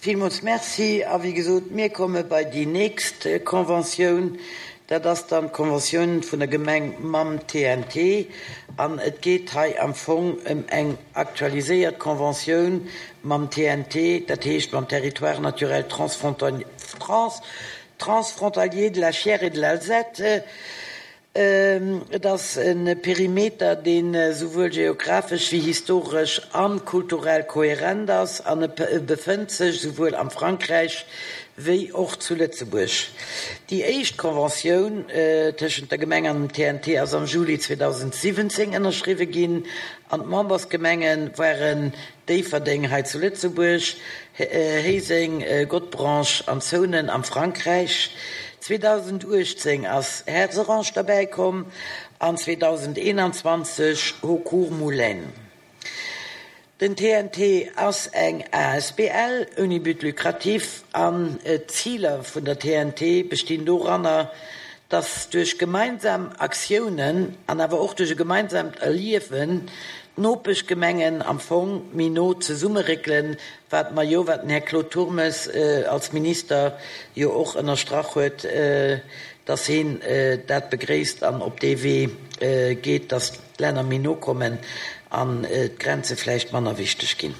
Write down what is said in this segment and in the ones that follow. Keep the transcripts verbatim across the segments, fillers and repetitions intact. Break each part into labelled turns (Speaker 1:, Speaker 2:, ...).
Speaker 1: Villmools Merci. A wéi gesot, mir komme bei déi nächst Conventioun. Dat ass dann d'Conventioun vun der Gemeng mam T N T. An et geet hei am Fong ëm eng aktualiséiert Conventioun mam T N T, dat heescht mam Territoire naturel transfrontalier de la Chiers et de l'Alzette. Et ass e Perimeter, deen esouwuel geografesch wéi historesch a kulturell kohärent ass an e befënnt sech esouwuel am Frankräich wéi och zu Lëtzebuerg. Déi éischt Conventioun tëschent der Gemeng an dem T N T ass am Juli zweedausendsiwwenzéng ënnerschriwwe ginn an d'Membersgemenge waren Déifferdeng hei zu Lëtzebuerg, Héiseng, Godebranche an Zounen am Frankräich. zweedausenduechtzéng ass Herserange derbäi komm an zweedausendeenanzwanzeg Haucourt-Moulaine. Den T N T ass eng A S B L ouni But lucratif an d'Ziler vun der T N T bestinn doranner, dass duerch gemeinsam Aktiounen an awer och duerch e gemeinsamt Erliewen d'Nopeschgemengen am Fong méi no zesummeréckelen, wat mer jo, wat den Här Claude Turmes als Minister jo och ënnerstrach huet, dass hien dat begréisst an op dee Wee geet, dass d'Länner méi no kommen an d'Grenze vläicht manner wichteg ginn.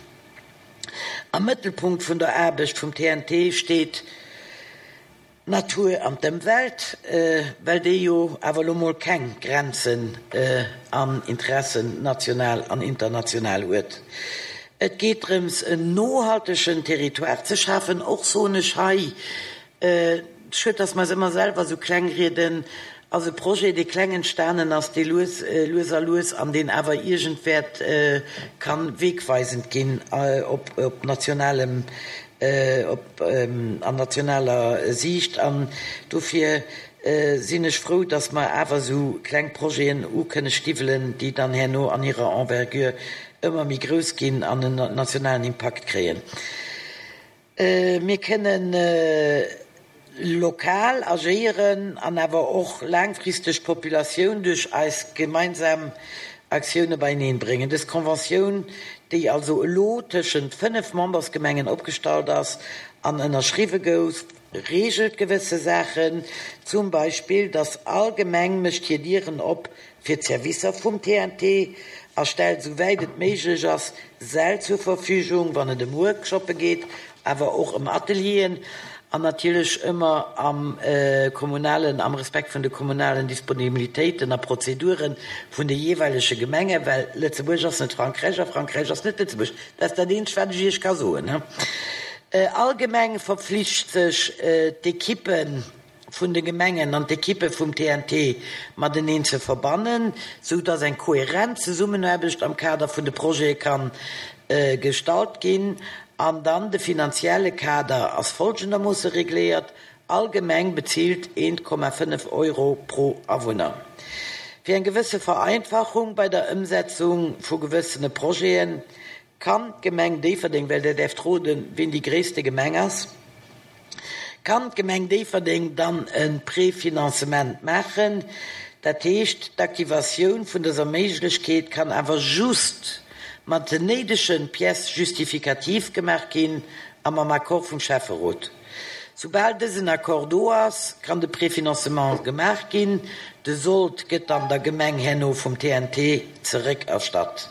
Speaker 1: Am Mëttelpunkt vun der Aarbecht vum T N T steet d'Natur an d'Ëmwelt, well déi jo awer elo mol keng Grenzen an Interessen national an international huet. Et geet drëms, en nohaltegen Territoire ze schafen. Och soen ech hei, schued, dass mer eis ëmmer selwer esou kleng rieden, ass e Projet, dee kleng entstanen ass, dee lues, lues a lues an deen awer iergend wäert kann wegweisend ginn op op nationalem, op an nationaler Siicht. An dofir sinn ech frou, dass mer awer esou kleng Projeten u kënne stiwwelen, déi dann herno an hirer Envergure ëmmer méi grouss ginn an en nationalen Impakt kréien. Mir kënnen lokal agéieren an awer och laangfristeg d'Populatioun duerch eis gemeinsam Aktioune beieneen bréngen. Dës Conventioun, déi also elo tëschent fënnef Membersgemengen opgestallt ass an ënnerschriwwe gouf, reegelt gewësse Saachen, zum Beispill, dass all Gemeng mécht hir Dieren op fir d'Servicer vum T N T a stellt, souwäit et méiglech ass, Säll zur Verfügung, wann et ëm Workshoppe geet, awer och ëm Atelieren, an natierlech ëmmer am kommunalen, am Respekt vun de kommunalen Disponibilitéiten a Prozedure vun de jeeweilege Gemengen, well Lëtzebuerg ass net Frankräich a Frankräich ass net Lëtzebuerg. Dat ass dat eenzegt, wat ech Iech ka soen. All Gemeng verpflicht sech, d'Ekippe vun de Gemengen an d'Ekippe vum T N T mateneen ze verbannen, sou dass eng kohärent Zesummenaarbecht am Kader vun de Projete ka gestalt ginn. An dann de finanzielle Kader ass folgendermoosse regléiert, All Gemeng bezilt een Komma fënnef Euro pro Awunner. Fir eng gewësse Vereinfachung bei der Ëmsetzung vu gewëssene Projete kann d'Gemeng Déifferdeng, well Der däerft roden, wien déi gréisste Gemeng ass, kann d'Gemeng Déifferdeng dann e Préfinancement maachen. Dat heescht, d'Aktivatioun vun dëser Méiglechkeet kann awer just mat den néidege Pièces justificatives gemaach ginn a mam Accord vum Schäfferot. Soubal dësen Accord do ass, kann de Préfinancement gemaach ginn. De Sold gëtt dann der Gemeng herno vum T N T zeréckerstatt.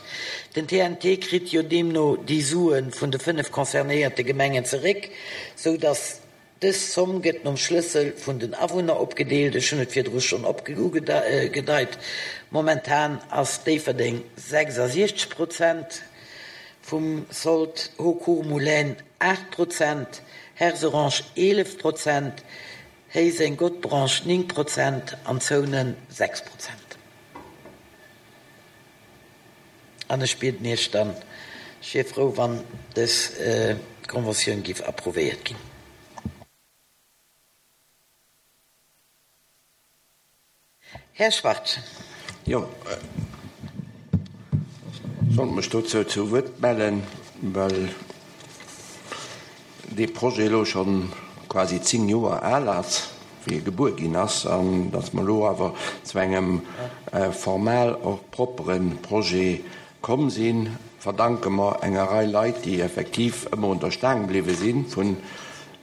Speaker 1: Den T N T kritt jo deemno déi Sue vun de fënnef concernéierte Gemengen zeréck, sou datt dës Zomm gëtt nom Schlëssel vun den Awunner opgedeelt. Ech hunn et virdru schonn ugedeit, momentan ass Déifferdeng sechsasiechzeg Prozent vum Sold, Haucourt-Moulaine aacht Prozent, Herserange eelef Prozent, Héiseng-Godebranche néng Prozent an Zounen sechs Prozent. An ech bieden Iech dann, ech wier frou, wann dës Conventioun géif approuvéiert ginn. Här Schwarz.
Speaker 2: Jo, ech wollt mech dozou zu Wuert mellen, well dee Projet elo scho quasi zéng Joer al ass, wéi e gebuer ginn ass, an datt mer elo awer zu engem formal och proppere Projet komm sinn. verdanke mer enger Rei Leit, déi effektiv ëmmer un der Staang bliwwe sinn, vun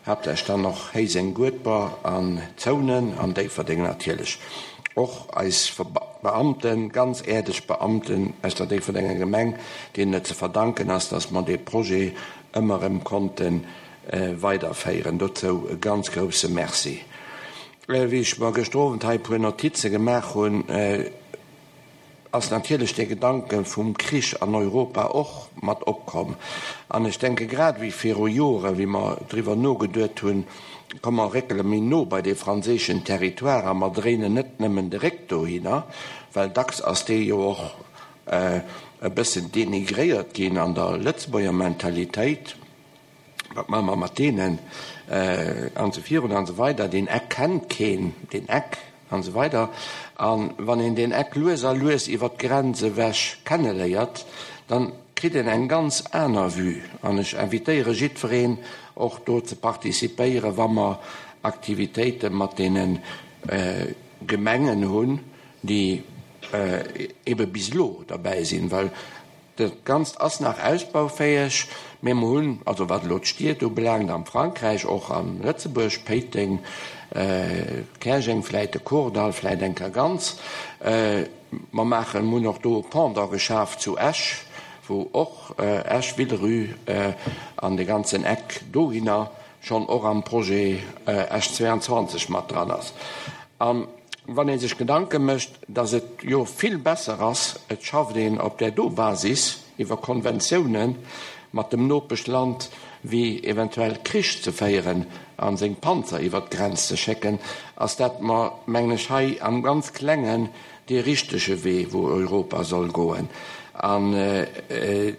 Speaker 2: haaptsächlech dann och Héiseng, Guedber an Zounen an Déifferdeng natierlech. Och eis Beamten, ganz äerdeg Beamten aus der Déifferdenger Gemeng, deenen et ze verdanken ass, dass mer dee Projet ëmmer erëm konnte weiderféieren. Dozou e ganz grousse Merci. Wéi ech mer gëschter Owend hei e puer Notize gemaach hunn, ass natierlech dee Gedanke vum Krich an Europa och mat opkomm. An ech denke grad wéi viru Joren, wéi mer driwwer nogeduet hunn, komm mer réckele méi no bei dee franséischen Territoire a mer dréinen net nëmmen de Réck dohinner, well dacks ass dee jo och e bëssen denigréiert ginn an der Lëtzebuerger Mentalitéit, wat maache mer mat deenen an esou virun an esou weider, deen Eck kennt keen, deen Eck an esou weider. A wann een deen Eck lues a lues iwwert d'Grenz ewech kenneléiert, dann kritt een eng ganz aner Vue. An ech invitéiere jiddwereen och do ze participéieren, wa mer Aktivitéite mat deene Gemengen hunn, déi ebe bis elo derbäi sinn, well dat Ganzt ass nach ausbaufäeg, mä mer hunn, also wat elo d'Stied ubelaangt am Frankräich, och a Lëtzebuerg, Péiteng, Käerjeng, vläit de Kordall, vläit eng Kéier ganz, mer maachen, mer hunn och do e Pendant geschaf zu Esch, wou och Esch, Villerupt an de ganzen Eck dohinner schonn och am Projet Esch zweiundzwanzeg mat dran ass. A wann ee sech Gedanke mécht, datt et jo vill besser ass, et schafft een op där do Basis iwwer Konventiounen mat dem Nopeschland, wéi eventuell Krich ze féieren a seng Panzer iwwert d'Grenz ze schécken, ass dat mer, mengen ech, hei am ganz Klengen dee richtege Wee, wou Europa soll goen. An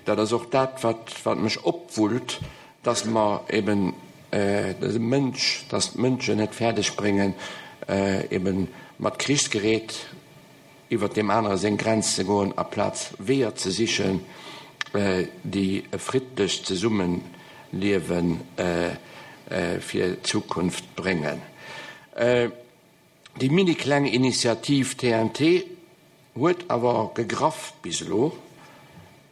Speaker 2: dat ass och dat, wat wat mech opwullt, dass mer eben de Mënsch, dass d'Mënschen et fäerdeg bréngen, eben mat Krichsgerät iwwert deem anere seng Grenz ze goen, aplaz Weeër ze sichen, déi e friddlecht Zesummeliewe fir d'Zukunft bréngen. Déi mini-kleng Initiativ T N T huet awer gegraff bis elo,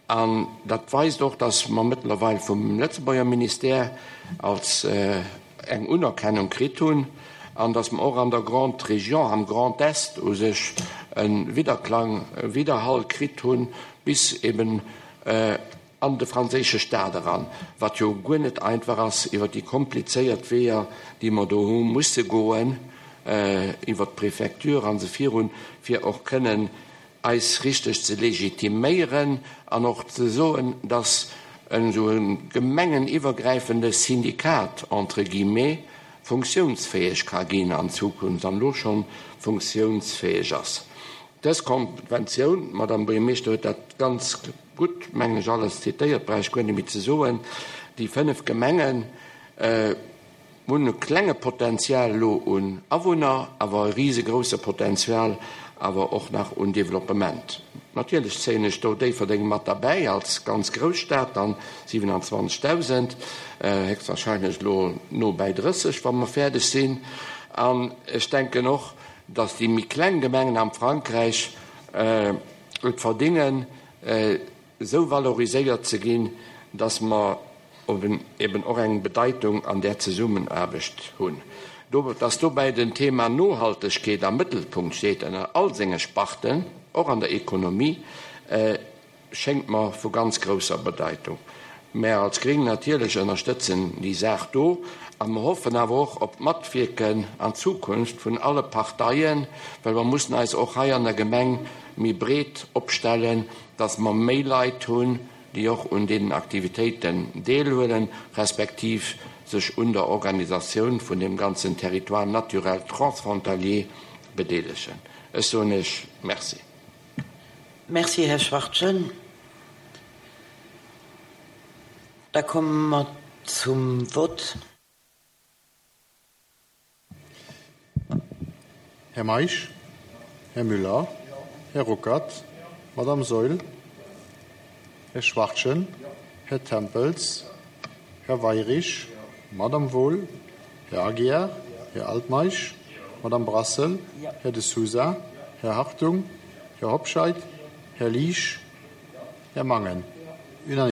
Speaker 2: an dat weist och, dass mer mëttlerweil vum Lëtzebuerger Ministère als eng Unerkennung kritt hunn, an dass mer och an der Grande Région, am Grand Est u sech e Widderklang, e Widderhall kritt hunn, bis eben an de franséische Staat eran, wat jo guer net einfach ass iwwer déi komplizéiert Weeër, déi mer do hu musse goen, iwwer d'Préfecture an esou virun, fir och kënnen eis richteg ze legitiméieren an och ze soen, dass esou e gemengeniwwergräifende Syndikat, entre guillemets, funktiounsfäeg ka ginn an Zukunft an elo schonn funktiounsfäeg ass. Dës Konventioun, d'Madame Buergermeeschter huet dat ganz gutt, mengen ech, alles zitéiert, brauch ech guer net méi ze soen, déi fënnef Gemengen hunn e klenge Potenzial elo un Awunner, awer e risegrouse Potenzial awer och nach un Developpement. Natierlech zéien ech do Déifferdeng mat derbäi als ganz grouss Stad, dann siewenundzwanzigtausend, héchstwahrscheinlech elo no bäi drësseg, wa mer fäerdeg sinn. An ech denken och, dass déi méi kleng Gemengen am Frankräich et verdingen, esou valoriséiert ze ginn, dass mer eben och eng Bedeitung an där Zesummenaarbecht hunn. Dass dobäi den Thema Nohaltegkeet am Mëttelpunkt steet ënner all senge Sparten, och an der Ekonomie, schéngt mer vu ganz grousser Bedeitung. Mär als Gréng natierlech ënnerstëtzen déi Saach do a mer hoffen awer och op d'Matwierken an Zukunft vun alle Parteien, well mer mussen eis och hei an der Gemeng méi breet opstellen, dass mer méi Leit hunn, déi och un deenen Aktivitéiten deelhuelen, respektiv sech un der Organisatioun vun dem ganzen Territoire naturel transfrontalier bedeelegen. Ech soen Iech Merci.
Speaker 1: Merci, Här Schwachtgen. Da komme mer zum Vott.
Speaker 3: Här Meisch, Här Müller, Här Ruckert, Madame Saeul, Här Schwachtgen, Här Tempels, Här Weyrich, Madame Wohl, Här Aguiar, Här Altmeisch, Madame Brassel, Här de Sousa, Här Hartung, Här Hobscheit, Här Liesch, Här Mangen. Unanimité.